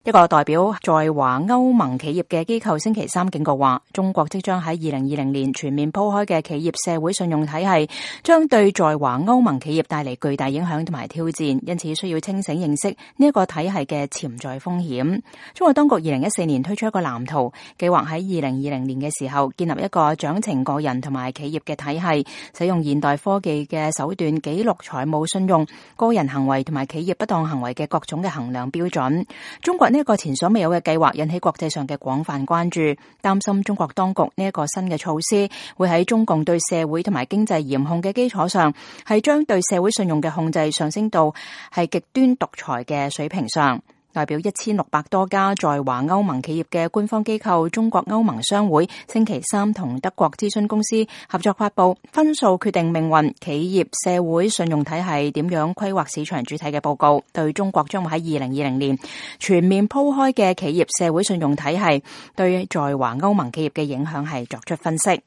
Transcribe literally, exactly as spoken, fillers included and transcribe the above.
一個代表在華歐盟企業嘅機構星期三警告話，中國即將喺二零二零年全面鋪開嘅企業社會信用體系，將對在華歐盟企業帶嚟巨大影響同埋挑戰，因此需要清醒認識呢一個體系嘅潛在風險。中國當局二零一四年推出一個藍圖，計劃喺二零二零年嘅時候建立一個獎懲個人同埋企業嘅體系，使用現代科技嘅手段記錄財務信用、個人行為同埋企業不當行為嘅各種嘅衡量標準。中國呢一個前所未有嘅計劃引起國際上嘅廣泛關注，擔心中國當局呢一個新嘅措施會喺中共對社會同埋經濟嚴控嘅基礎上，係將對社會信用嘅控制上升到係極端獨裁嘅水平上。代表一千六百多家在華歐盟企業嘅官方機構中國歐盟商會星期三同德國諮詢公司合作發布分數決定命運，企業社會信用體系點樣規劃市場主體嘅報告，對中國將會喺二零二零年全面鋪開嘅企業社會信用體系對在華歐盟企業嘅影響係作出分析。